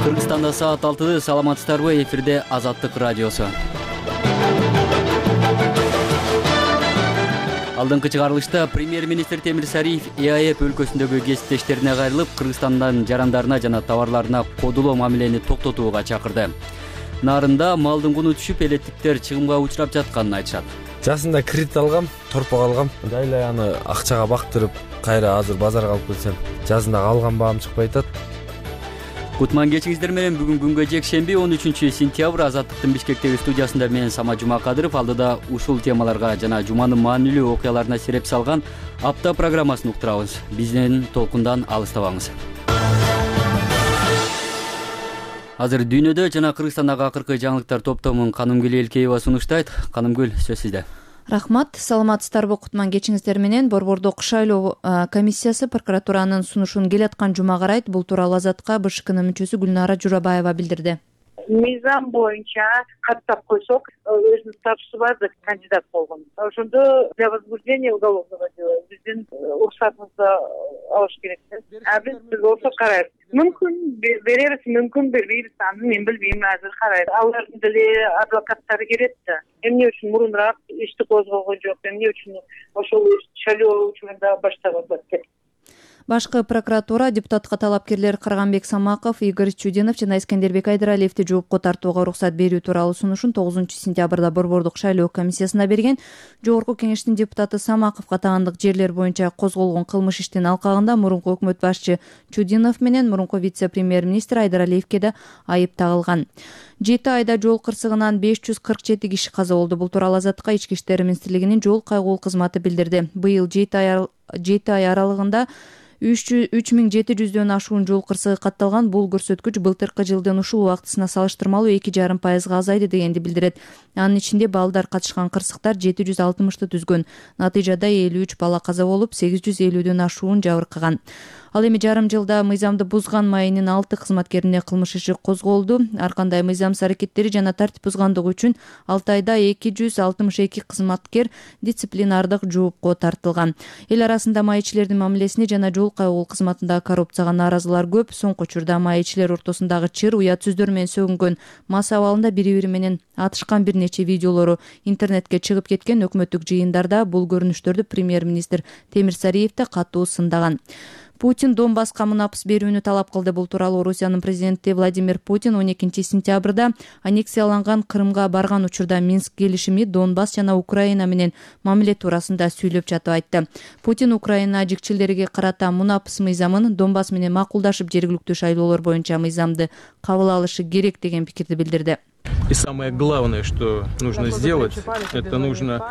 Кыргызстанда саат 6. Саламатсыздарбы? Эфирде Азаттык радиосу. Алдыңкы чыгарылышта премьер-министр Темир Сариев ЭАЭП өлкөсүндөгү кесиптештерине кайрылып, Кыргызстандан жарандарына жана товарларына кодулоо мамилени токтотууга чакырды. Нарында малдын куну түшүп, элеттиктер чыгымга учурап жатканын айтышат. Жасында кредит алгам, торпок алгам. Дайлай аны акчага бактырып, кайра азыр базарга алып келсем, жазында алган баам чыкпай атат. Кутман кечиңиздер менен бүгүн күнгө жекшемби 13 сентябрь Азаттыктын Бишкектеги студиясында мен Сама Жумакадыров алдыда ушул темаларга жана жуманын маанилүү окуяларына сереп салган апта программасын уктурабыз. Бизден толкундан алыстабаңыз. Азыр дүйнөдө жана Кыргызстандагы акыркы жаңылыктар топтомун Канымгүл Элкеева сунуштайт. Канымгүл, сөз сизде. Рахмат. Саламатсыздарбы? Кутман кечиңиздер менен Борбордук шайлоо комиссиясы прокуратуранын сунушун келаткан жума карайт. Бул тууралуу Азатка БШКнын мүчөсү Гүлнара Журабаева билдирди. Мыйзам боюнча каттап койсок, өзүнүн статусу бар деп кандидат болгон. Ошондо для возбуждения уголовного дела биздин уруксатыбызды алыш керек. А биз болсо карайбыз. Мүмкүн беребиз, мүмкүн бербейбиз, аны мен билбейм, азыр карайбыз. Алардын деле адвокаттары келет да. Эмне үчүн мурунураак ишти козголгон жок, эмне үчүн ошол шайлоо учурунда баштаган деп. Башкы прокуратура депутатка талапкерлер Карганбек Самаков, Игорь Чудинов жана Искендербек Айдаралиевди жоопко тартууга уруксат берүү тууралуу сунушун 9 сентябрда Борбордук шайлоо комиссиясына берген. Жогорку кеңештин депутаты Самаковго таандык жерлер боюнча козголгон кылмыш иштин алкагында мурунку өкмөт башчы Чудинов менен мурунку вице-премьер-министр Айдаралиевге да айып тагылган. 7 айда жол кырсыгынан 547 киши каза болду. Бул тууралуу Азатка Ички иштер министрлигинин жол кайгуу кызматы билдирди. Быйыл 7 ай аралыгында 3700дөн ашуун жол кырсыгы катталган. Бул көрсөткүч былтыркы жылдын ушул убактысына салыштырмалуу 2,5% азайды дегенди билдирет. Анын ичинде балдар катышкан кырсыктар 760ты түзгөн. Натыйжада 53 бала каза болуп, 850дөн ашуун жабыркаган. Ал эми жарым жылда мыйзамды бузган майынын 6 кызматкерине кылмыш иши козголду. Ар кандай мыйзамсыз аракеттери жана тартип бузгандыгы үчүн 6 айда 262 кызматкер дисциплинардык жоопко тартылган. Эл арасында майчилердин мамилесине жана жол кайгуу кызматындагы коррупцияга нааразылар көп. Соңку учурда майчилер ортосундагы чыр, уят сөздөр менен сөгүнгөн мас абалында бири-бири менен атышкан бир нече видеолору интернетке чыгып кеткен. Өкмөттүк жыйындарда бул көрүнүштөрдү премьер-министр Темир Сариев да катуу сындаган. Путин Донбасска мунапыс берүүнү талап кылды. Бул тууралуу Орусиянын президенти Владимир Путин 12 сентябрда аннексияланган Крымга барган учурда Минск келишими Донбасс жана Украина менен мамиле туурасында сүйлөп жатып айтты. Путин Украина жикчилдерге карата мунапыс мыйзамын Донбасс менен макулдашып жергиликтүү шайлоолор боюнча мыйзамды кабыл алышы керек деген пикирди билдирди. И самое главное, что нужно сделать, это нужно...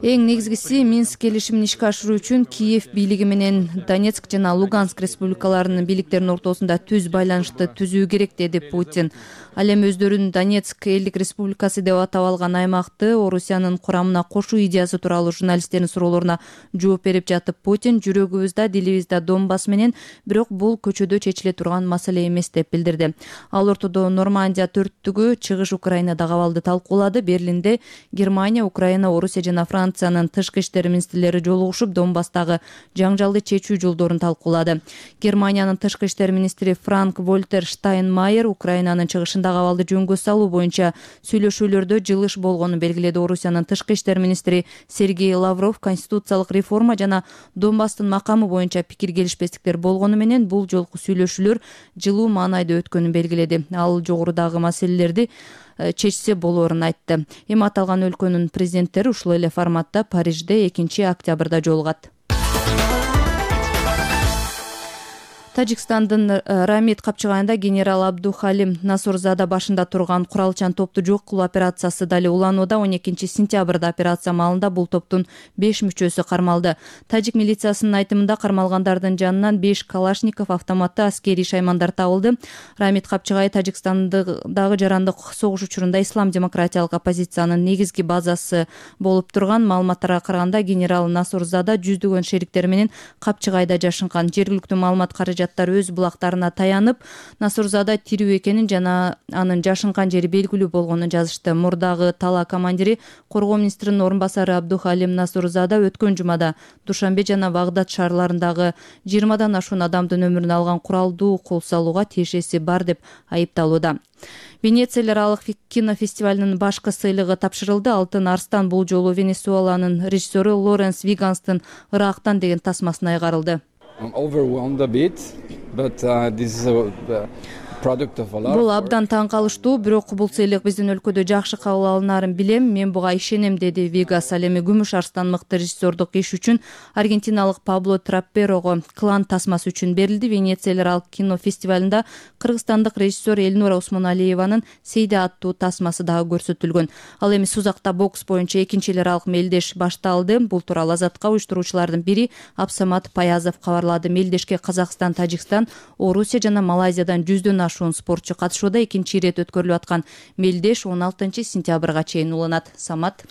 Эң негизгиси Минск келишимин ишке ашыруу үчүн Киев бийлиги менен Донецк жана Луганск республикаларынын бийликтеринин ортосунда түз байланышты түзүү керек, деди Путин. Ал эми өздөрүн Донецк элдик республикасы деп атап алган аймакты Орусиянын курамына кошуу идеясы тууралуу журналисттердин суроолоруна жооп берип жатып Путин жүрөгүбүздө, дилибизде Донбасс менен, бирок бул көчөдө чечиле турган маселе эмес деп билдирди. Ал ортодо Нормандия төрттүгү чыгыш Украинадагы абалды талкуулады. Берлинде Германия, Украина, Орусия жана Франциянын тышкы иштер министрлери жолугушуп Донбасстагы жаңжалды чечүү жолдорун талкуулады. Германиянын тышкы иштер министри Франк Вольтер Штайнмайер Украинанын чыгышындагы абалды жөнгө салуу боюнча сүйлөшүүлөрдө жылыш болгонун белгиледи. Орусиянын тышкы иштер министри Сергей Лавров конституциялык реформа жана Донбасстын макамы боюнча пикир келишпестиктер болгону менен бул жолку сүйлөшүүлөр жылуу маанайда өткөнүн белгиледи. Ал жогорудагы маселелерди чечсе болоорун айтты. Эми аталган өлкөнүн президенттери ушул эле форматта Парижде 2 октябрда жолугат. Тажикстандын Рамид капчыгайында генерал Абдухалим Насорзада башында турган куралчан топту жок кылуу операциясы дали уланууда. 12 сентябрда операция маалында бул топтун 5 мүчөсү кармалды. Тажик милициясынын айтымында кармалгандардын жанынан 5 калашников, автоматты аскерий шаймандар табылды. Рамид капчыгай Тажикстандагы жарандык согуш учурунда ислам демократиялык оппозициянын негизги базасы болуп турган. Маалыматтарга караганда генерал Насорзада жүздөгөн шериктери менен капчыгайда жашынган. Жергиликтүү маалымат каражат аят өз булактарына таянып Насурзада тирүү экенин жана анын жашынкан жери белгилүү болгонун жазышты. Мурдагы тала командири коргоо министринин орун басары Абдухалим Насурзада өткөн жумада Душанбе жана Багдад шаарларындагы 20 ашуун адамдын өмүрүн алган куралдуу кол салууга тиешеси бар деп айыпталууда. Венециялар аралык кинофестивалынын башкы сыйлыгы тапшырылды. Алтын арстан бул жолу Венесуэланын режиссеру Лоренс Виганстын Ырактан деген тасмасына айгарылды. Бул абдан таң калыштуу, бирок бул сыйлык биздин өлкөдө жакшы кабыл алынарын билем, мен буга ишенем, деди Вигас. Ал эми күмүш арстан мыкты режиссердук иш үчүн аргентиналык Пабло Трапперого клан тасмасы үчүн берилди. Венециялар аралык кинофестивалында кыргызстандык режиссер Элнура Усмоналиеванын Сейде аттуу тасмасы дагы көрсөтүлгөн. Ал эми Сузакта бокс боюнча экинчи эл аралык мелдеш башталды. Бул тууралуу Азатка уюштуруучулардын бири Абсамат Паязов кабарлады. Мелдешке Казакстан, Тажикстан, Орусия жана Малайзиядан 100дөн ашуун спортчу катышууда. Экинчи ирет өткөрүлүп аткан мелдеш 16 сентябрга чейин уланат. Самат.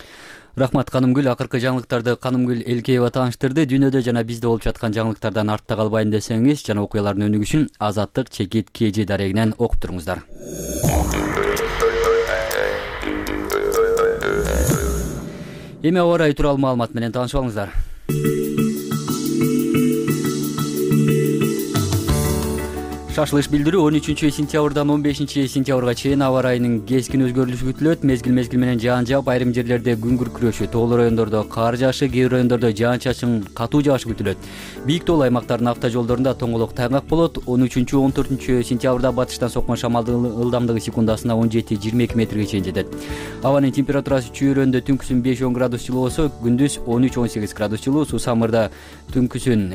Рахмат Канымгүл. Акыркы жаңылыктарды Канымгүл Элкеева тааныштырды. Дүйнөдө жана бизде болуп жаткан жаңылыктардан артта калбайын десеңиз жана окуялардын өнүгүшүн Азаттык чекит KG дарегинен окуп туруңуздар. Эми аба ырайы тууралуу маалымат менен таанышып алыңыздар. Шашылыш билдирүү 13 сентябрдан 15 сентябрга чейин аба ырайынын кескин өзгөрүлүшү күтүлөт. Мезгил менен жаан жаап, айрым жерлерде күн күркүрөшү, тоолуу райондордо кар жаашы, кээ бир райондордо жаан-чачын катуу жаашы күтүлөт. Бийик тоолуу аймактардын автожолдорунда тоңолок тайгак болот. 13-14 сентябрда батыштан соккон шамалдын ылдамдыгы секундасына 17-22 метрге чейин жетет. Абанын температурасы чүйрөндө түнкүсүн 5-10 градус жылуу болсо, күндүз 13-18 градус жылуу. Суу самырда түнкүсүн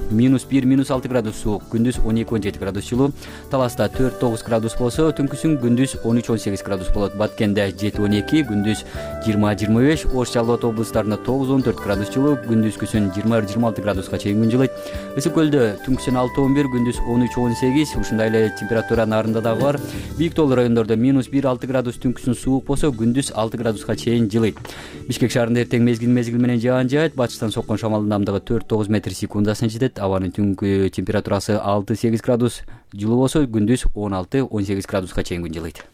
-1-6 градус суук, күндүз 12-17 градус жылуу. Таласта 4-9 градус болсо, түнкүсүн күндүз 13-18 градус болот. Баткенде 7-12, күндүз 20-25, Ош Жалал облустарында 9-14 градус жылуу, күндүзгүсүн 20-26 градуска чейин күн жылыйт. Ысык көлдө түнкүсүн 6-11, күндүз 13-18, ушундай эле температура нарында дагы бар. Бийик тоолуу райондордо -1-6 градус, түнкүсүн суук болсо, күндүз 6 градуска чейин жылыйт. Бишкек шаарында эртең мезгил менен жаан жаат, батыштан соккон шамалдын ылдамдыгы 4-9 метр секундасына жетет. Абанын түнкү температурасы 6-8 градус жылуу болсо, күндүз 16-18 градуска чейин күн жылыйт.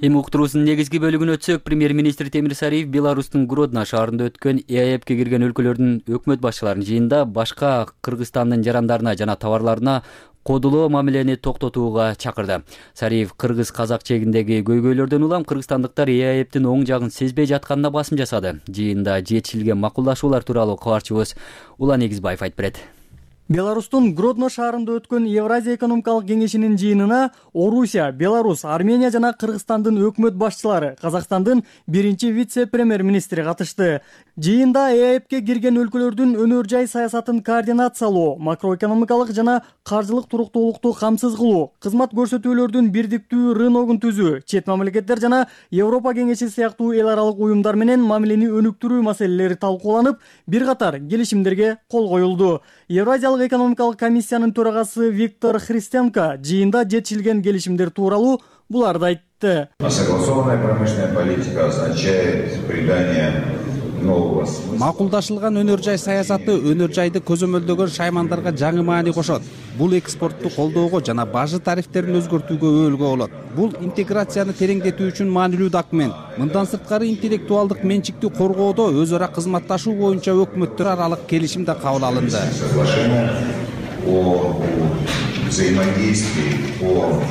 Эми уктуруусунун негизги бөлүгүнө өтсөк, премьер-министр Темир Сариев Беларустун Гродно шаарында өткөн ЭАЭПке кирген өлкөлөрдүн өкмөт башчыларынын жыйынында башка Кыргызстандын жарандарына жана товарларына кодулоо мамилени токтотууга чакырды. Сариев кыргыз-казак чегиндеги көйгөйлөрдөн улам кыргызстандыктар ЭАЭПтин оң жагын сезбей жатканына басым жасады. Жыйында жетишилген макулдашуулар тууралуу кабарчыбыз Улан Эгизбаев айтып берет. Беларустун Гродно шаарында өткөн Евразия экономикалык кеңешинин жыйынына Орусия, Беларусь, Армения жана Кыргызстандын өкмөт башчылары, Казакстандын биринчи вице-премьер-министри катышты. Жыйында ЭАЭПке кирген өлкөлөрдүн өнөр жай саясатын координациялоо, макроэкономикалык жана каржылык туруктуулукту камсыз кылуу, кызмат көрсөтүүлөрдүн бирдиктүү рыногун түзүү, чет мамлекеттер жана Европа кеңеши сыяктуу эл аралык уюмдар менен мамилени өнүктүрүү маселелери талкууланып, бир катар келишимдерге кол коюлду. Евразиялык экономикалык комиссиянын төрагасы Виктор Христенко жыйында жетишилген келишимдер тууралуу буларды айтты. Согласованная промышленная политика означает придание нового смысла. Макулдашылган өнөр жай саясаты өнөр жайды көзөмөлдөгөн шаймандарга жаңы маани кошот. Бул экспортту колдоого жана бажы тарифтерин өзгөртүүгө өөлгө болот. Бул интеграцияны тереңдетүү үчүн маанилүү документ. Мындан сырткары интеллектуалдык менчикти коргоодо өз ара кызматташуу боюнча өкмөттөр аралык келишим да кабыл алынды. О взаимодействии, о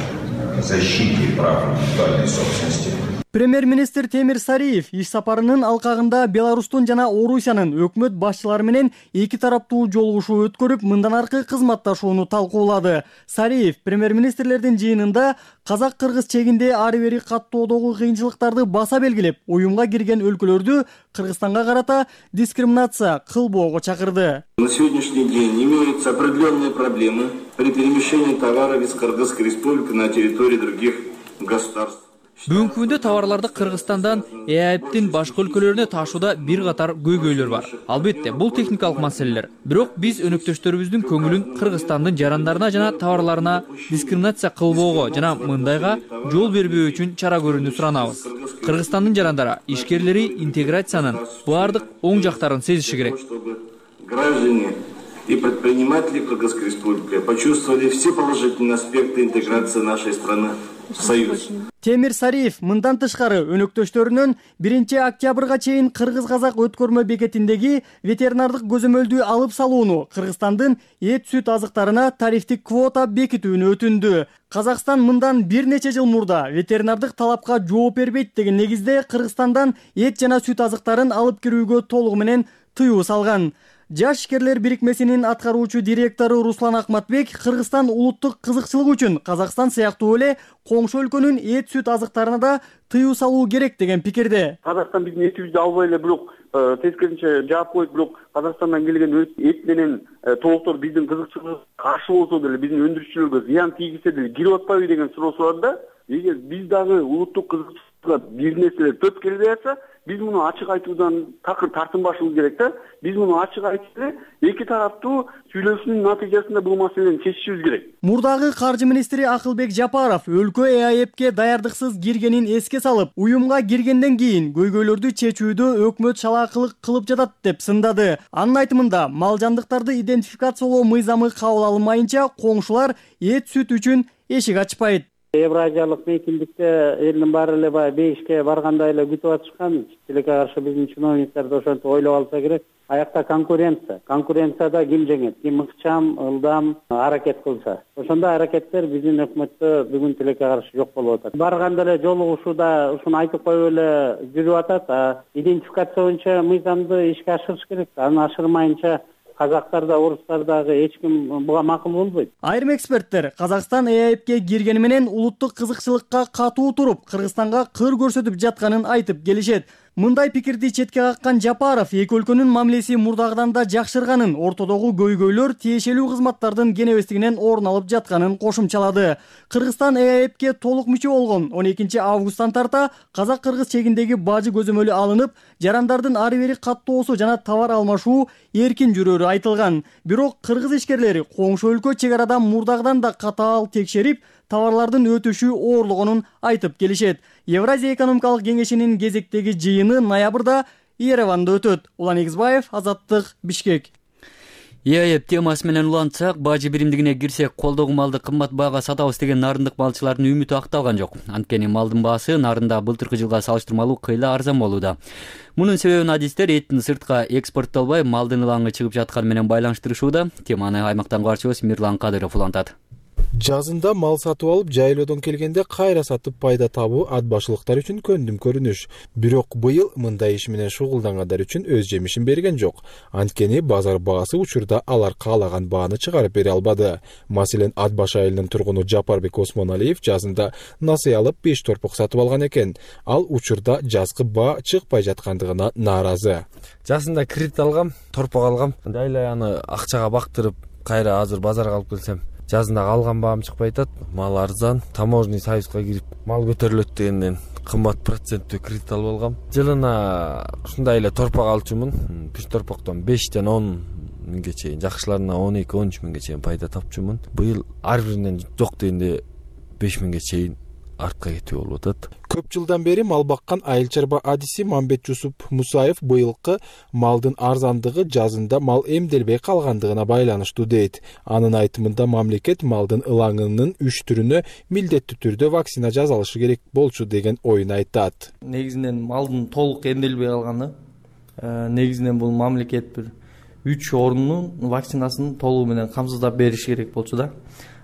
защите прав интеллектуальной собственности. Премьер-министр Темир Сариев иш сапарынын алкагында Беларустун жана Орусиянын өкмөт башчылары менен эки тараптуу жолугушуу өткөрүп, мындан аркы кызматташууну талкуулады. Сариев премьер-министрлердин жыйынында казак-кыргыз чегинде ары бери каттоодогу кыйынчылыктарды баса белгилеп, уюмга кирген өлкөлөрдү Кыргызстанга карата дискриминация кылбоого чакырды. На сегодняшний день имеются определенные проблемы при перемещении товаров из Кыргызской республики на территории других государств. Бүгүнкү күндө товарларды Кыргызстандан ЭАЭПтин башка өлкөлөрүнө ташууда бир катар көйгөйлөр бар. Албетте, бул техникалык маселелер. Бирок биз өнөктөштөрүбүздүн көңүлүн Кыргызстандын жарандарына жана товарларына дискриминация кылбоого жана мындайга жол бербөө үчүн чара көрүүнү суранабыз. Кыргызстандын жарандары, ишкерлери интеграциянын баардык оң жактарын сезиши керек. Граждане и предприниматели Кыргызской Республики почувствовали все положительные аспекты интеграции нашей страны в Союз. Темир Сариев мындан тышкары өнөктөштөрүнөн 1 октябрга чейин Кыргыз-Казак өткөрмө бекетиндеги ветеринардык көзөмөлдү алып салууну, Кыргызстандын эт сүт азыктарына тарифтик квота бекитүүнү өтүндү. Казакстан мындан бир нече жыл мурда ветеринардык талапка жооп бербейт деген негизде Кыргызстандан эт жана сүт азыктарын алып кирүүгө толугу менен тыюу салган. Жаш ишкерлер бирикмесинин аткаруучу директору Руслан Акматбек Кыргызстан улуттук кызыкчылык үчүн Казакстан сыяктуу эле коңшу өлкөнүн эт сүт азыктарына да тыюу салуу керек деген пикирде. Казакстан биздин этибизди албай эле бирок тескерисинче жаап коюп, бирок Казакстандан келген эт менен толуктор биздин кызыкчылыгыбызга каршы болсо деле, биздин өндүрүүчүлөргө зыян тийгизсе деле кирип атпайбы деген суроосу бар да. Эгер биз дагы улуттук кызыкчылыкка бир нерселер төп келбей атса, биз муну ачык айтуудан такыр тартынбашыбыз керек да. Биз муну ачык айтып эле эки тараптуу сүйлөшүүнүн натыйжасында бул маселени чечишибиз керек. Мурдагы каржы министри Акылбек Жапаров өлкө ЭАЭПке даярдыксыз киргенин эске салып, уюмга киргенден кийин көйгөйлөрдү чечүүдө өкмөт шалаакылык кылып жатат деп сындады. Анын айтымында, мал жандыктарды идентификациялоо мыйзамы кабыл алынмайынча коңшулар эт сүт үчүн эшик ачпайт. Евразиялык мейкиндикте элдин баары эле баягы бейишке баргандай эле күтүп атышкан. Тилекке каршы биздин чиновниктер да ошентип ойлоп алса керек. Аякта конкуренция. Конкуренцияда ким жеңет? Ким ыкчам, ылдам аракет кылса. Ошондой аракеттер биздин өкмөттө бүгүн тилекке каршы жок болуп атат. Барганда эле жолугушууда ушуну айтып коюп эле жүрүп атат. Идентификация боюнча мыйзамды ишке ашырыш керек. Аны ашырмайынча казактарда, орустардагы эч ким буга макул болбойт. Айрым эксперттер Казакстан ЭАЭПке киргени менен улуттук кызыкчылыкка катуу туруп, Кыргызстанга кыр көрсөтүп жатканын айтып келишет. Мындай пикирди четке каккан Жапаров эки өлкөнүн мамилеси мурдагыдан да жакшырганын, ортодогу көйгөйлөр тиешелүү кызматтардын кенебестигинен орун алып жатканын кошумчалады. Кыргызстан ЭАЭПке толук мүчө болгон 12 августтан тарта казак-кыргыз чегиндеги бажы көзөмөлү алынып, жарандардын ары бери каттоосу жана товар алмашуу эркин жүрөрү айтылган. Бирок кыргыз ишкерлери коңшу өлкө чек арада мурдагыдан да катаал текшерип, товарлардын өтүшү оорлогонун айтып келишет. Евразия экономикалык кеңешинин кезектеги жыйыны ноябрда Ереванда өтөт. Улан Эгизбаев, Азаттык, Бишкек. ЭАЭП темасы менен улантсак, бажы биримдигине кирсек, колдогу малды кымбат баага сатабыз деген нарындык малчылардын үмүтү акталган жок. Анткени малдын баасы нарында былтыркы жылга салыштырмалуу кыйла арзан болууда. Мунун себебин адистер эттин сыртка экспорттолбой, малдын ылаңы чыгып жатканы менен байланыштырышууда. Теманы аймактан барчыбыз Мирлан Кадыров улантат. Жазында мал сатып алып, жайлоодон келгенде кайра сатып пайда табуу ат башылыктар үчүн көндүм көрүнүш. Бирок быйыл мындай иш менен шугулдангандар үчүн өз жемишин берген жок. Анткени базар баасы учурда алар каалаган бааны чыгарып бере албады. Маселен, ат баш айылынын тургуну Жапарбек Осмоналиев жазында насый алып 5 торпок сатып алган экен. Ал учурда жазгы баа чыкпай жаткандыгына нааразы. Жазында кредит алгам, торпок алгам. Дайлай аны акчага бактырып, кайра азыр базарга алып келсем, жазында алган баам чыкпай атат. Мал арзан, таможенный союзга кирип, мал көтөрүлөт дегенден кымбат проценттүү кредит алып алгам. Жылына ушундай эле торпок алчумун. Бир торпоктон 5-тен 10 миңге чейин, жакшыларына 12-13 миңге чейин пайда тапчумун. Быйыл ар биринен жок дегенде 5 миңге чейин артка кетүү болуп атат. Көп жылдан бери мал баккан айыл чарба адиси Мамбет Жусуп Мусаев быйылкы малдын арзандыгы жазында мал эмделбей калгандыгына байланыштуу дейт. Анын айтымында мамлекет малдын ылаңынын 3 түрүнө милдеттүү түрдө вакцина жасалышы керек болчу деген оюн айтат. Негизинен малдын толук эмделбей калганы, негизинен бул мамлекет бир 3 орунун вакцинасын толугу менен камсыздап бериш керек болчу да.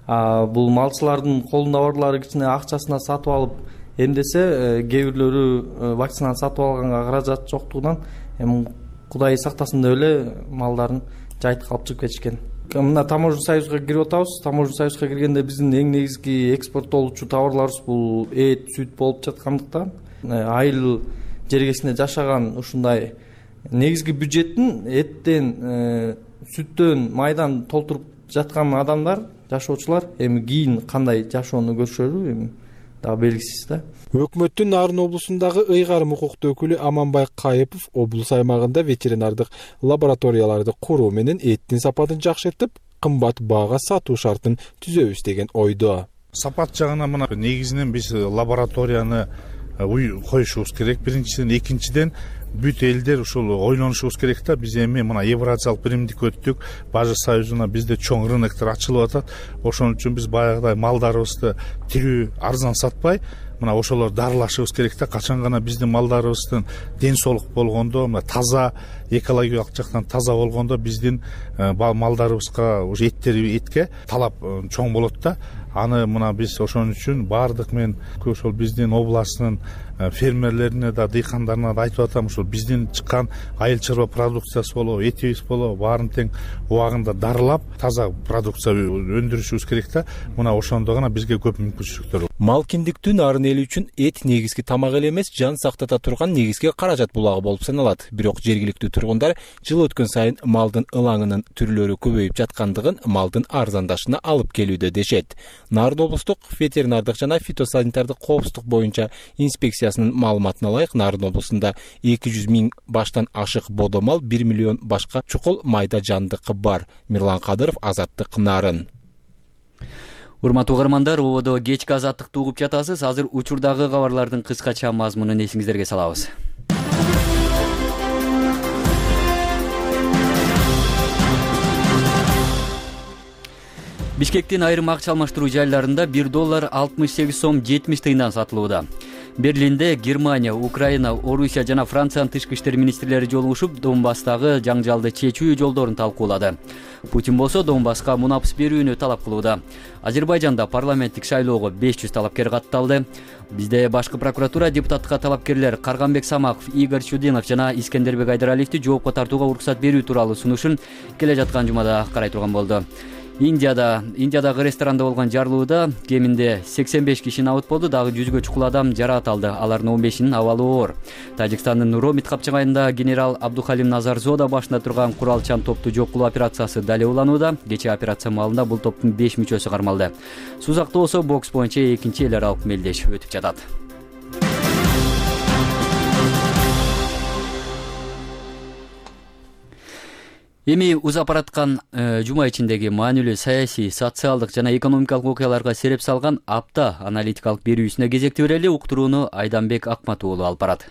Бул малчылардын колунда барлары кичине акчасына сатып алып эмдесе, кээ бирлөрү вакцинаны сатып алганга каражат жоктугунан эми Кудай сактасын деп эле малдарын жайтып алып чыгып кетишкен. Мына таможенный союзга кирип атабыз. Таможенный союзга киргенде биздин эң негизги экспорттолуучу товарларыбыз бул эт, сүт болуп жаткандыктан, айыл жергесинде жашаган ушундай негизги бюджеттин эттен, сүттөн, майдан толтуруп жаткан адамдар, жашоочулар эми кийин кандай жашоону көрүшөрү, эми дагы белгисиз да. Өкмөттүн Нарын облусундагы ыйгарым укуктуу өкүлү Аманбай Кайыпов облус аймагында ветеринардык лабораторияларды куруу менен эттин сапатын жакшыртып, кымбат баага сатуу шартын түзөбүз деген ойдо. Сапат жагына мына негизинен биз лабораторияны коюшубуз керек. Биринчиден, экинчиден бүт элдер ушул ойлонушубуз керек да. Биз эми мына Евразиялык биримдикке өттүк, Бажы союзуна бизде чоң рыноктор ачылып атат. Ошон үчүн биз баягыдай малдарыбызды тирүү, арзан сатпай, мына ошолор дарылашыбыз керек да. Качан гана биздин малдарыбыздын ден соолук болгондо, мына таза, экологиялык жактан таза болгондо биздин малдарыбызга уже этке талап чоң болот да. Аны мына биз ошон үчүн баардык мен ошол биздин областын фермерлерине да, дыйкандарына да айтып атам, ушул биздин чыккан айыл чарба продукциясы болобу, этибиз болобу, баарын тең убагында дарылап, таза продукция өндүрүшүбүз керек да. Мына ошондо гана бизге көп мүмкүнчүлүктөр болот. Мал киндиктүү Нарын эли үчүн эт негизги тамак эле эмес, жан сактата турган негизги каражат булагы болуп саналат. Бирок жергиликтүү тургундар жыл өткөн сайын малдын ылаңынын түрлөрү көбөйүп жаткандыгын малдын арзандашына алып келүүдө дешет. Нарын облустук ветеринардык жана фитосанитардык коопсуздук боюнча инспекциясынын маалыматына ылайык, Нарын облусунда 200 000 баштан ашык бодо мал, 1 миллион башка чукул майда жандыкы бар. Мирлан Кадыров, Азаттык, Нарын. Урматтуу угармандар, ободо кечки азаттыкты угуп жатасыз. Азыр учурдагы кабарлардын кыскача мазмунун эсиңиздерге салабыз. Бишкектин айрым акча алмаштыруу жайларында $1 68 сом 70 тыйындан сатылууда. Берлинде Германия, Украина, Орусия жана Франциянын тышкы иштер министрлери жолугушуп, Донбасстагы жаңжалды чечүү жолдорун талкуулады. Путин болсо Донбасска мунапс берүүнү талап кылууда. Азербайжанда парламенттик шайлоого 500 талапкер катталды. Бизде башкы прокуратура депутаттыкка талапкерлер Карганбек Самаков, Игорь Чудинов жана Искендербек Айдараливди жоопко тартууга уруксат берүү тууралуу сунушун келе жаткан жумада карай турган болду. Индиядагы ресторанда болгон жарылууда кеминде 85 киши абут болду, дагы 100гө чукул адам жараат алды. Алардын 15-инин абалы оор. Тажикстандын Ромит капчыгайында генерал Абдухалим Назарзода башында турган куралчан топту жок кылуу операциясы дале уланууда. Кечээ операция маалында бул топтун 5 мүчөсү кармалды. Сузакта болсо бокс боюнча экинчи эл аралык мелдеш өтүп жатат. Эми узап бараткан жума ичиндеги маанилүү саясий, социалдык жана экономикалык окуяларга сереп салган апта аналитикалык берүүсүнө кезекти берели. Уктурууну Айданбек Акмат уулу алып барат.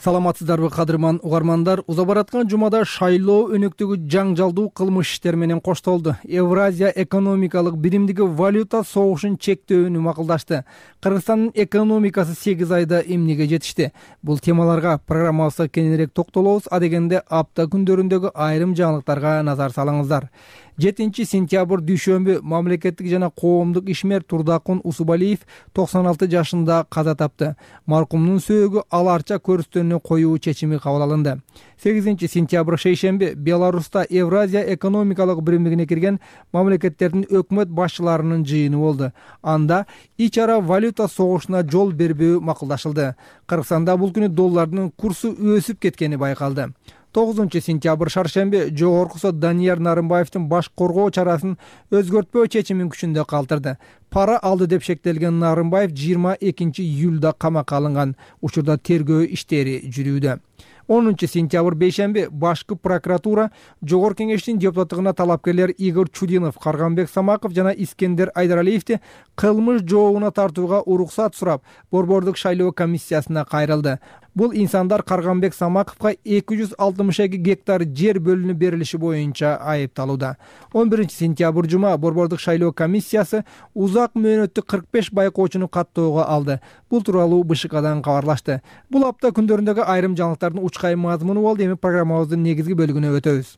Саламатсыздарбы кадырман угармандар, узап бараткан жумада шайлоо өнөктөгү жаңжалдуу кылмыш иштер менен коштолду. Евразия экономикалык биримдиги валюта согушун чектөөнү макулдашты. Кыргызстандын экономикасы 8 айда эмнеге жетишти? Бул темаларга программабызда кененирээк токтолобуз. Адегенде апта күндөрүндөгү айрым жаңылыктарга назар салыңыздар. 7 сентябрь дүйшөмбү мамлекеттик жана коомдук ишмер Турдакун Усубалиев 96 жашында каза тапты. Маркумдун сөөгү аларча көрүстөрүнө коюу чечими кабыл алынды. 8 сентябрь шейшемби Беларуста Евразия экономикалык биримдигине кирген мамлекеттердин өкмөт башчыларынын жыйыны болду. Анда ич ара валюта согушуна жол бербөө макулдашылды. Кыргызстанда бул күнү доллардын курсу өсүп кеткени байкалды. 9 сентябрь шаршемби Жогорку сот Данияр Нарымбаевдин баш коргоо чарасын өзгөртпөө чечимин күчүндө калтырды. Пара алды деп шектелген Нарымбаев 22 июлда камакка алынган. Учурда тергөө иштери жүрүүдө. 10 сентябрь бейшемби башкы прокуратура Жогорку кеңештин депутаттыгына талапкерлер Игорь Чудинов, Карганбек Самаков жана Искендер Айдараливди кылмыш жообуна тартууга уруксат сурап, борбордук шайлоо комиссиясына кайрылды. Бул инсандар Карганбек Самаковго 262 гектар жер бөлүнүп берилиши боюнча айыпталууда. 11 сентябрь жума борбордук шайлоо комиссиясы узак мөөнөттүк 45 байкоочуну каттоого алды. Бул тууралуу БШКдан кабарлашты. Бул апта күндөрүндөгү айрым жаңылыктардын учкай мазмуну болду. Эми программабыздын негизги бөлүгүнө өтөбүз.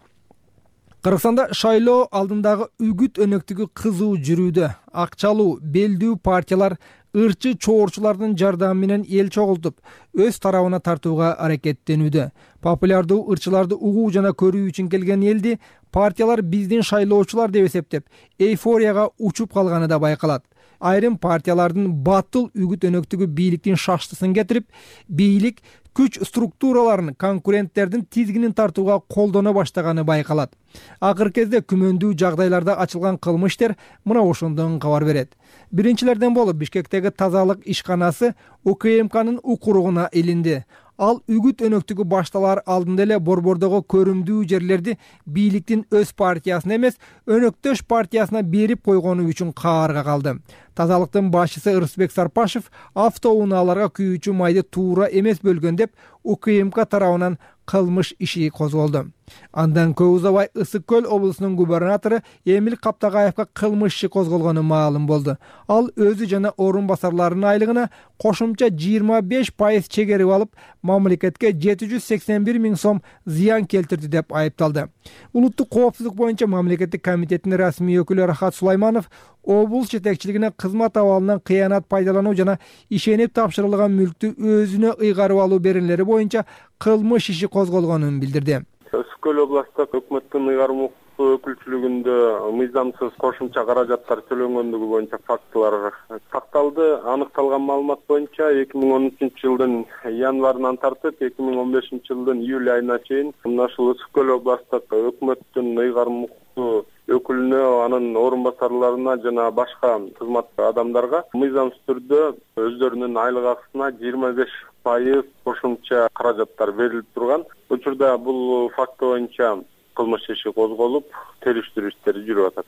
Кыргызстанда шайлоо алдындагы үгүт өнөктүгү кызуу жүрүүдө. Акчалуу, белдүү партиялар ырчы чоорчулардын жардамы менен эл чогултуп, өз тарабына тартууга аракеттенүүдө. Популярдуу ырчыларды угуу жана көрүү үчүн келген элди партиялар биздин шайлоочулар деп эсептеп, эйфорияга учуп калганы да байкалат. Айрым партиялардын батыл үгүт өнөктүгү бийликтин шаштысын кетирип, бийлик күч структураларын конкуренттердин тизгинин тартууга колдоно баштаганы байкалат. Акыркы кезде күмөндүү жагдайларда ачылган кылмыш ишер мына ошондон кабар берет. Биринчилерден болуп Бишкектеги тазалык ишканасы УКМКнын укуругуна илинди. Ал үгүт өнөктүгү башталар алдында эле борбордогу көрүмдүү жерлерди бийликтин өз партиясына эмес, өнөктөш партиясына берип койгону үчүн каарга калды. Тазалыктын башчысы Ырысбек Сарпашев автоунааларга күйүүчү майды туура эмес бөлгөн деп УКМК тарабынан кылмыш иши козголду. Андан көп узабай Ысык Көл облусунун губернатору Эмил Каптагаевга кылмыш иши козголгону маалым болду. Ал өзү жана орун басарларынын айлыгына кошумча 25% чегерип алып, мамлекетке 781 миң сом зыян келтирди деп айыпталды. Улуттук коопсуздук боюнча мамлекеттик комитеттин расмий өкүлү Рахат Сулайманов облус жетекчилигине кызмат абалынан кыянат пайдалануу жана ишенип тапшырылган мүлктү өзүнө ыйгарып алуу беренелери боюнча кылмыш иши козголгонун билдирди. Ысык Көл областык өкмөттүн ыйгарым укуктуу өкүлчүлүгүндө мыйзамсыз кошумча каражаттар төлөнгөндүгү боюнча фактылар такталды. Аныкталган маалымат боюнча 2013 жылдын январынан тартып 2015 жылдын июль айына чейин мына ушул Ысык Көл областык өкмөттүн ыйгарым укуктуу өкүлүнө, анын орун басарларына жана башка кызмат адамдарга мыйзамсыз түрдө өздөрүнүн айлык акысына 25% кошумча каражаттар берилип турган. Учурда бул факт боюнча кылмыш иши козголуп, териштирүү иштери жүрүп атат.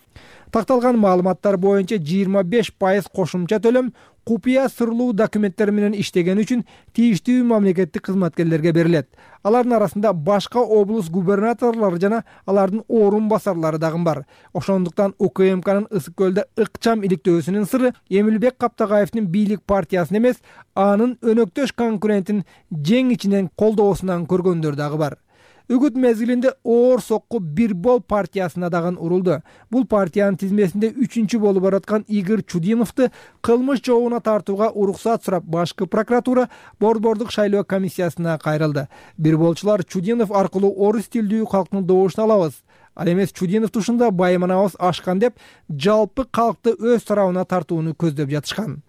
Такталган маалыматтар боюнча 25% кошумча төлөм купуя сырлуу документтер менен иштеген үчүн тийиштүү мамлекеттик кызматкерлерге берилет. Алардын арасында башка облус губернаторлору жана алардын орун басарлары дагы бар. Ошондуктан УКМКнын Ысык Көлдө ыкчам иликтөөсүнүн сыры Эмилбек Каптагаевдин бийлик партиясын эмес, анын өнөктөш конкурентин жең ичинен колдоосунан көргөндөр дагы бар. Үгүт мезгилинде оор сокку Бирбол партиясына дагы урулду. Бул партиянын тизмесинде 3-чү болуп бараткан Игорь Чудиновду кылмыш жообуна тартууга уруксат сурап, башкы прокуратура борбордук шайлоо комиссиясына кайрылды. Бирболчулар Чудинов аркылуу орус тилдүү калктын добушун алабыз, ал эмес Чудинов тушунда байманабыз ашкан деп жалпы калкты өз тарабына тартууну көздөп жатышкан.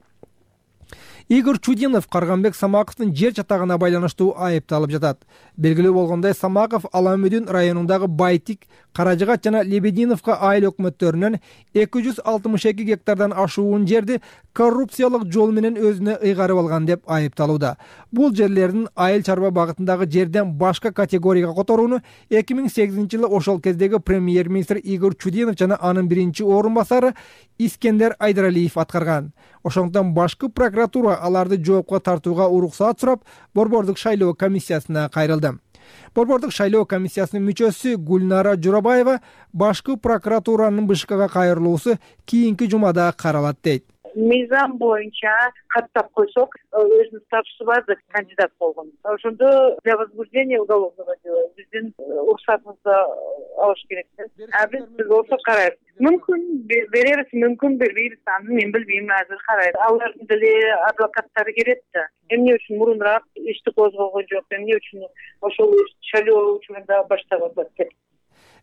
Игорь Чудинов Карганбек Самаковдун жер чатагына байланыштуу айыпталып жатат. Белгилүү болгондой, Самаков Аламүдүн районундагы Байтик, Каражыгат жана Лебединовка айыл өкмөттөрүнөн 262 гектардан ашуун жерди коррупциялык жол менен өзүнө ыйгарып алган деп айыпталууда. Бул жерлердин айыл чарба багытындагы жерден башка категорияга которууну 2008-жылы ошол кездеги премьер-министр Игорь Чудинов жана анын биринчи орун басары Искендер Айдаралиев аткарган. Ошондон башкы прокуратура аларды жоопко тартууга уруксат сурап, борбордук шайлоо комиссиясына кайрылды. Борбордук шайлоо комиссиясынын мүчөсү Гүлнара Журабаева башкы прокуратуранын БШКга кайрылуусу кийинки жумада каралат дейт. Мыйзам боюнча каттап койсок, өзүнүн статусу бар деп кандидат болгон. Ошондо для возбуждения уголовного дела биздин уруксатыбызды алыш керек. Биз болсо карайбыз. Мүмкүн беребиз, мүмкүн бербейбиз, аны мен билбейм, азыр карайбыз. Алардын деле адвокаттары келет да. Эмне үчүн мурунураак ишти козголгон жок, эмне үчүн ошол шайлоо учурунда баштаган деп.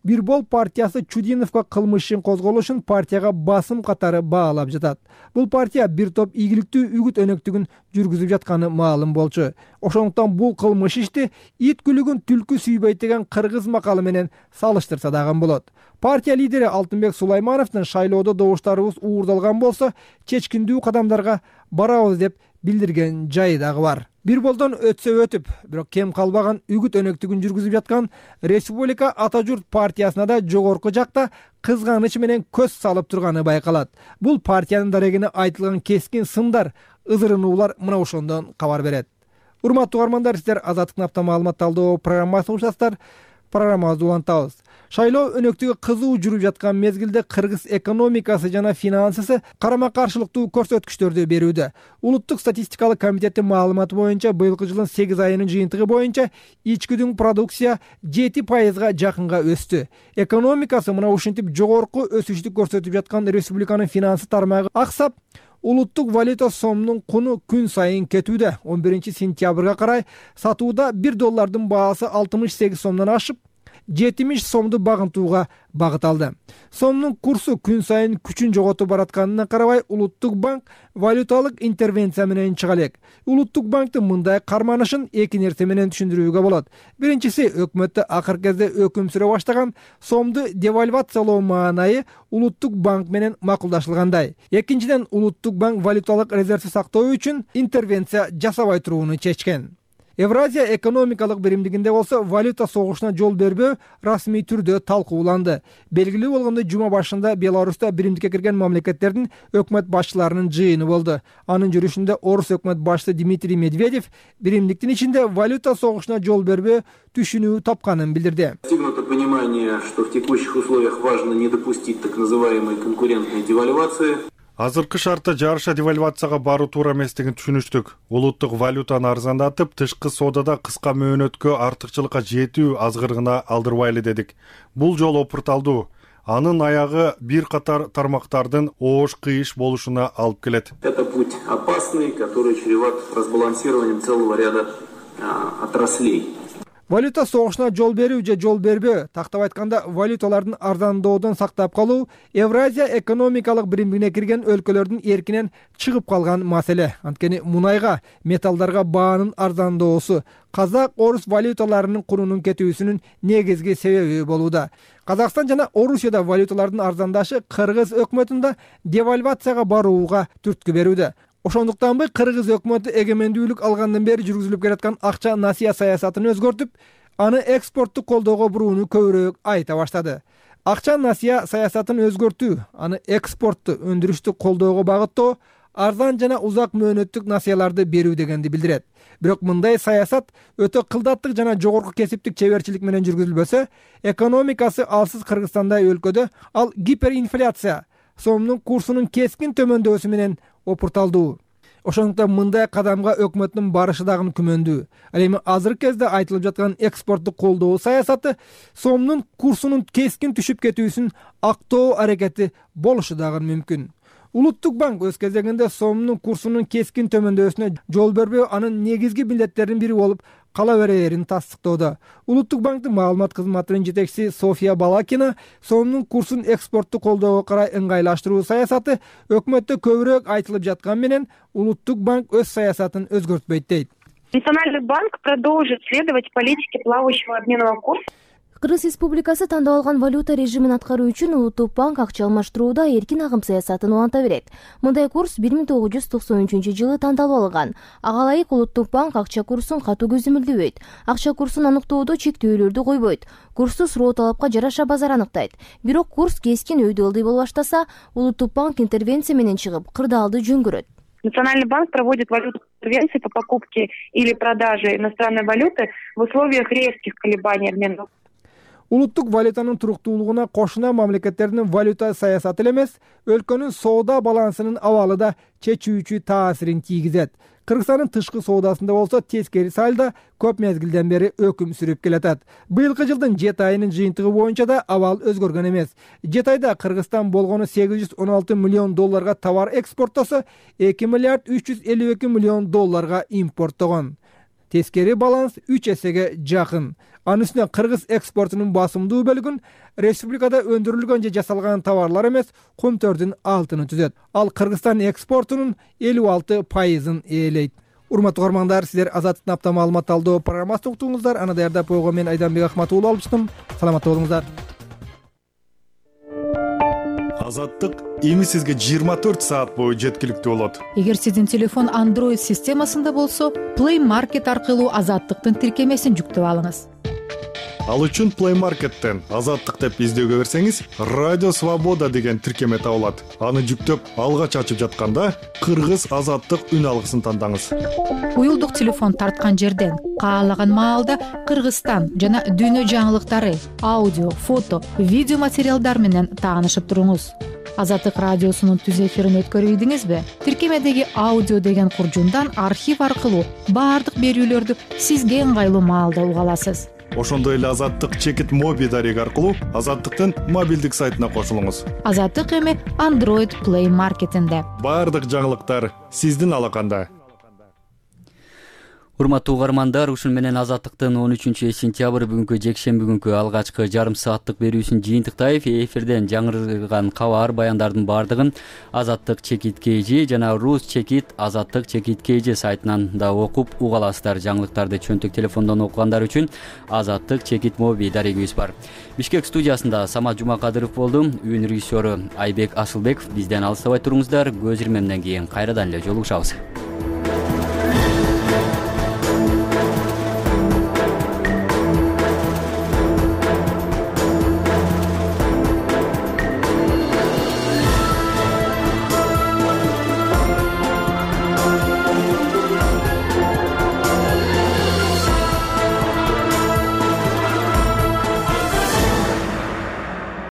Бирбол партиясы Чудиновго кылмыш ишин козголушун партияга басым катары баалап жатат. Бул партия бир топ ийгиликтүү үгүт өнөктүгүн жүргүзүп жатканы маалым болчу. Ошондуктан бул кылмыш ишти ит күлүгүн түлкү сүйбөйт деген кыргыз макалы менен салыштырса дагы болот. Партия лидери Алтынбек Сулаймановдун шайлоодо добуштарыбыз уурдалган болсо, чечкиндүү кадамдарга барабыз деп билдирген жайы дагы бар. Бирболдон өтсө өтүп, бирок кем калбаган үгүт өнөктүгүн жүргүзүп жаткан Республика Ата Журт партиясына да жогорку жакта кызганыч менен көз салып турганы байкалат. Бул партиянын дарегине айтылган кескин сындар, ызырынуулар мына ошондон кабар берет. Урматтуу угармандар, сиздер Азаттыктын апта маалымат талдоо программасын угушасыздар. Программабызды улантабыз. Шайлоо өнөктүгү кызуу жүрүп жаткан мезгилде кыргыз экономикасы жана финансысы карама-каршылыктуу көрсөткүчтөрдү берүүдө. Улуттук статистикалык комитеттин маалыматы боюнча быйылкы жылдын 8 айынын жыйынтыгы боюнча ичкүдүн продукция 7%га жакынга өстү. Экономикасы мына ушинтип жогорку өсүштү көрсөтүп жаткан республиканын финансы тармагы аксап, улуттук валюта сомунун куну күн сайын кетүүдө. 11 сентябрга карай сатууда $1 баасы 68 сомдон ашып, 70 сомду багынтууга багыт алды. Сомдун курсу күн сайын күчүн жоготуп баратканына карабай, Улуттук банк валюталык интервенция менен чыга элек. Улуттук банктын мындай карманышын эки нерсе менен түшүндүрүүгө болот. Биринчиси, өкмөттө акыркы кезде өкүм сүрө баштаган сомду девальвациялоо маанайы Улуттук банк менен макулдашылгандай. Экинчиден, Улуттук банк валюталык резервди сактоо үчүн интервенция жасабай турууну чечкен. Евразия экономикалык биримдигинде болсо валюта согушуна жол бербөө расмий түрдө талкууланды. Белгилүү болгондой, жума башында Беларуста биримдикке кирген мамлекеттердин өкмөт башчыларынын жыйыны болду. Анын жүрүшүндө орус өкмөт башчысы Дмитрий Медведев биримдиктин ичинде валюта согушуна жол бербөө түшүнүү тапканын билдирди. Достигнуто понимание, что в текущих условиях важно не допустить так называемой конкурентной девальвации. Азыркы шартта жарыша девальвацияга баруу туура эместигин түшүнүштүк. Улуттук валютаны арзандатып, тышкы соодада кыска мөөнөткө артыкчылыкка жетүү азгырыгына алдырбайлы дедик. Бул жол опурталдуу. Анын аягы бир катар тармактардын оош-кыйыш болушуна алып келет. Это путь опасный, который чреват разбалансированием целого ряда отраслей. Валюта согушуна жол берүү же жол бербөө, тактап айтканда валюталардын арзандоодон сактап калуу Евразия экономикалык биримдигине кирген өлкөлөрдүн эркинен чыгып калган маселе. Анткени мунайга, металлдарга баанын арзандоосу казак, орус валюталарынын курунун кетүүсүнүн негизги себеби болууда. Казакстан жана Орусияда валюталардын арзандашы Кыргыз өкмөтүндө девальвацияга барууга түрткү берүүдө. Ошондуктанбы Кыргыз өкмөтү эгемендүүлүк алгандан бери жүргүзүлүп келаткан акча насыя саясатын өзгөртүп, аны экспортту колдоого бурууну көбүрөөк айта баштады. Акча насыя саясатын өзгөртүү, аны экспортту, өндүрүштү колдоого багыттоо, арзан жана узак мөөнөттүк насыяларды берүү дегенди билдирет. Бирок мындай саясат өтө кылдаттык жана жогорку кесиптик чеберчилик менен жүргүзүлбөсө, экономикасы алсыз Кыргызстандай өлкөдө ал гиперинфляция, сомдун курсунун кескин төмөндөсү менен опурталдуу. Ошондуктан мындай кадамга өкмөттүн барышы дагы күмөндүү. Ал эми азыркы кезде айтылып жаткан экспортту колдоо саясаты сомдун курсунун кескин түшүп кетүүсүн актоо аракети болушу дагы мүмкүн. Улуттук банк өз кезегинде сомдун курсунун кескин төмөндөсүнө жол бербөө анын негизги милдеттеринин бири болуп кала берээрин тастыктоодо. Улуттук банктын маалымат кызматынын жетекчиси София Балакина сомдун курсун экспортту колдоого карай ыңгайлаштыруу саясаты өкмөттө көбүрөөк айтылып жаткан менен Улуттук банк өз саясатын өзгөртпөйт дейт. Национальный банк продолжит следовать политике плавающего обменного курса. Кыргыз Республикасы тандап алган валюта режимин аткаруу үчүн Улуттук банк акча алмаштырууда эркин агым саясатын уланта берет. Мындай курс 1993-жылы тандалып алынган. Ага ылайык Улуттук банк акча курсун катуу көзөмөлдөбөйт. Акча курсун аныктоодо чектөөлөрдү койбойт. Курсту суроо талапка жараша базар аныктайт. Бирок курс кескин өйдө ылдый боло баштаса, Улуттук банк интервенция менен чыгып, кырдаалды жөн көрөт. Национальный банк проводит валютные интервенции по покупке или продаже иностранной валюты в условиях резких колебаний обмена. Улуттук валютанын туруктуулугуна кошуна мамлекеттердин валюта саясаты эле эмес, өлкөнүн соода балансынын абалы да чечүүчү таасирин тийгизет. Кыргызстандын тышкы соодасында болсо тескери сальдо көп мезгилден бери өкүм сүрүп келатат. Быйылкы жылдын 7 айынын жыйынтыгы боюнча да абал өзгөргөн эмес. 7 айда Кыргызстан болгону $816 миллион товар экспорттосо, $2 миллиард 352 миллион импорттогон. Тескери баланс 3 эсеге жакын. Анын үстүнө Кыргыз экспортунун басымдуу бөлүгүн республикада өндүрүлгөн же жасалган товарлар эмес, көмтөрдүн алтыны түзөт. Ал Кыргызстан экспортунун 56%-ын ээлейт. Урматтуу угармандар, сиздер Азаттыктын апта маалымат талдоо программасын уктуңуздар. Аны даярдап койгон мен Айданбек Ахматов алып чыктым. Саламатта болуңуздар. Азаттык эми сизге 24 саат бою жеткиликтүү болот. Эгер сиздин телефон Android системасында болсо, Play Market аркылуу Азаттыктын тиркемесин жүктөп алыңыз. Ал үчүн Play Market'тен Азаттык деп издөөгө берсеңиз, Радио Свобода деген тиркеме табылат. Аны жүктөп, алгач ачып жатканда Кыргыз Азаттык үн алгысын тандаңыз. Уюлдук телефон тарткан жерден каалаган маалда Кыргызстан жана дүйнө жаңылыктары, аудио, фото, видео материалдар менен таанышып туруңуз. Азаттык радиосунун түз эфирин өткөрүбүдүңүзбү? Тиркемедеги аудио деген куржундан архив аркылуу баардык берүүлөрдү сизге ыңгайлуу маалда уга аласыз. Ошондой эле Азаттык чекит моби дареги аркылуу Азаттыктын мобилдик сайтына кошулуңуз. Азаттык эми Android Play Market'инде. Баардык жаңылыктар сиздин алаканда. Урматтуу угармандар, ушун менен Азаттыктын 13-сентябрь бүгүнкү жекшемби күнкү алгачкы жарым сааттык берүүсүн жыйынтыктайбы. Эфирден жаңырган кабар, баяндардын баардыгын Азаттык чекит KG жана Рус чекит Азаттык чекит KG сайтынан да окуп уга аласыздар. Жаңылыктарды чөнтөк телефондон окугандар үчүн Азаттык чекит моби дарегибиз бар. Бишкек студиясында Самат Жумакадыров болду. Үйүн режиссеру Айбек Асылбеков. Бизден алыстабай туруңуздар. Көз ирмемден кийин кайрадан эле жолугушабыз.